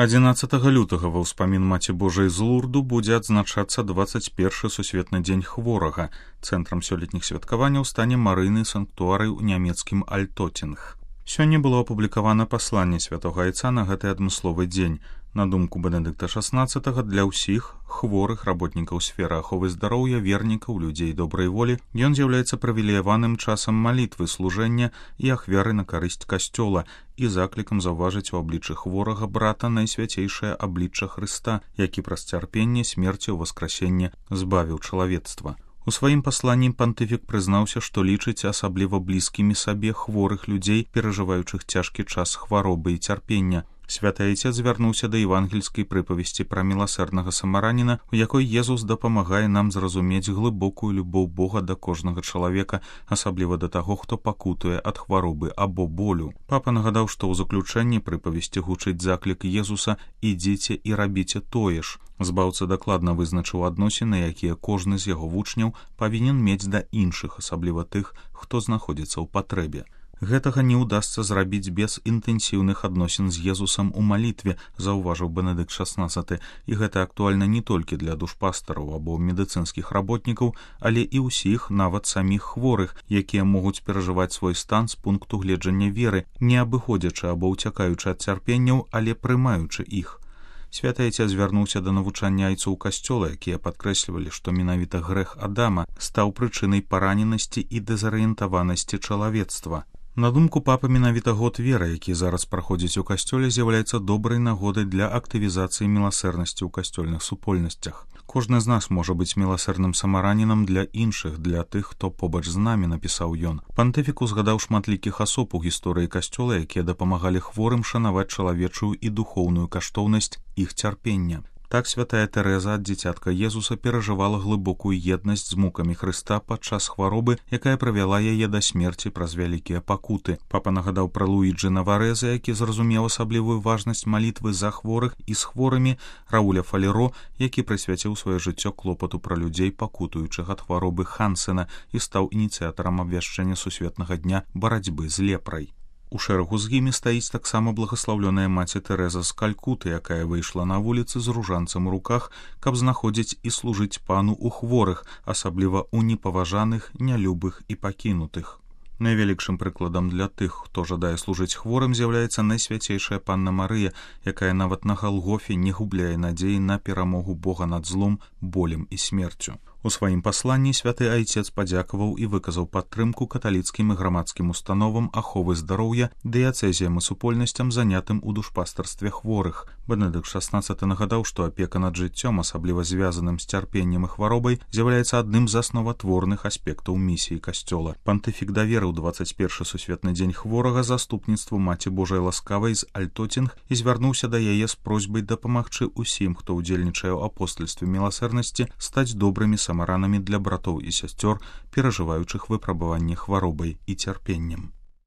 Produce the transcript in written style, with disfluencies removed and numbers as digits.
11 лютага ва ўспамін Маці Божай з Лурду будзе адзначацца 21 сусветны дзень хворага. Цэнтрам сёлетніх святкаванняў стане марыйны санктуарый у нямецкім Альтотінг. Сёння было апублікавана пасланне святога айца на гэты адмысловы дзень. На думку Бенедыкта XVI, для ўсіх хворых работнікаў сферы аховы здароўя, вернікаў, людзей добрай волі, ён з'яўляецца прывілеяваным часам малітвы, служэння і ахвяры на карысць касцёла і заклікам заўважыць у абліччы хворага брата найсвяцейшае аблічча Хрыста, які праз цярпенне, смерці ў васкрасенне збавіў чалавецтва. У сваім пасланні пантыфік прызнаўся, што лічыць асабліва блізкімі сабе хворых людзей, перажываючых цяжкі час хваробы і цярпення. Святы айцец звярнуўся да евангельскай прыпавесці пра міласэрнага самараніна, у якой Езус дапамагае нам зразумець глыбокую любоў Бога да кожнага чалавека, асабліва да таго, хто пакутуе ад хваробы або болю. Папа нагадаў, што ў заключэнні прыпавесці гучыць заклік Езуса «Ідзіце і рабіце тое ж». Збаўца дакладна вызначыў адносіны, якія кожны з яго вучняў павінен мець да іншых, асабліва тых, хто знаходзіцца ў патрэбе. Гэтага не ўдасца зрабіць без інтэнсіўных адносін з Езусам у малітве, заўважыў Бенедыкт XVI, і гэта актуальна не толькі для душпастараў або медыцынскіх работнікаў, але і ўсіх, нават саміх хворых, якія могуць перажываць свой стан з пункту гледжання веры, не абыходзячы або ўцякаючы ад цярпенняў, але прымаючы іх. Святы айцец звярнуўся да навучання айцоў касцёла, якія падкрэслівалі, што менавіта грэх Адама стаў прычынай параненасці і дэзарыентаванасці чалавецтва. На думку папы, менавіта год веры, які зараз праходзіць у касцёле, з'яўляецца добрай нагодай для актывізацыі міласэрнасці ў касцёльных супольнасцях. Кожны з нас можа быць міласэрным самаранінам для іншых, для тых, хто побач з намі, напісаў ён. Пантыфік узгадаў шматлікіх асоб у гісторыі касцёла, якія дапамагалі хворым шанаваць чалавечую і духоўную каштоўнасць іх цярпення. Так святая Тэрэза ад дзіцятка Езуса перажывала глыбокую еднасць з мукамі Хрыста падчас хваробы, якая правяла яе да смерці праз вялікія пакуты. Папа нагадаў пра Луіджы Наварэза, які зразумеў асаблівую важнасць малітвы за хворых і з хворымі, Рауля Фалеро, які прысвяціў сваё жыццё клопату пра людзей, пакутуючых ад хваробы Хансена, і стаў ініцыятарам абвяшчэння сусветнага дня барацьбы з лепрай. У шэрагу з імі стаіць таксама благаслаўлёная маці Тэрэза з Калькуты, якая выйшла на вуліцы з ружанцам у руках, каб знаходзіць і служыць пану ў хворых, асабліва ў непаважаных, нялюбых і пакінутых. Найвялікшым прыкладам для тых, хто жадае служыць хворым, з'яўляецца найсвяцейшая панна Марыя, якая нават на Галгофе не губляе надзеі на перамогу Бога над злом, болем і смерцю. У сваім пасланні святы айцец падзякаваў і выказаў падтрымку каталіцкім і грамадскім установам аховы здароўя, дыяцэзіям і супольнасцям, занятым у душпастарстве хворых. Бенедыкт XVI нагадаў, што апека над жыццём, асабліва звязаным з цярпеннем і хваробай, з'яўляецца адным з асноватворных аспектаў місіі касцёла. Пантыфік даверыў 21 сусветны дзень хворага заступніцтву Маці Божай Ласкавай з Альтотінг і звярнуўся да яе з просьбай дапамагчы ўсім, хто ўдзельнічае ў апостальстве міласэрнасці, стаць добрымі самаранамі для братоў і сясцёр, перажываючых выпрабаванне хваробай і цярпеннем.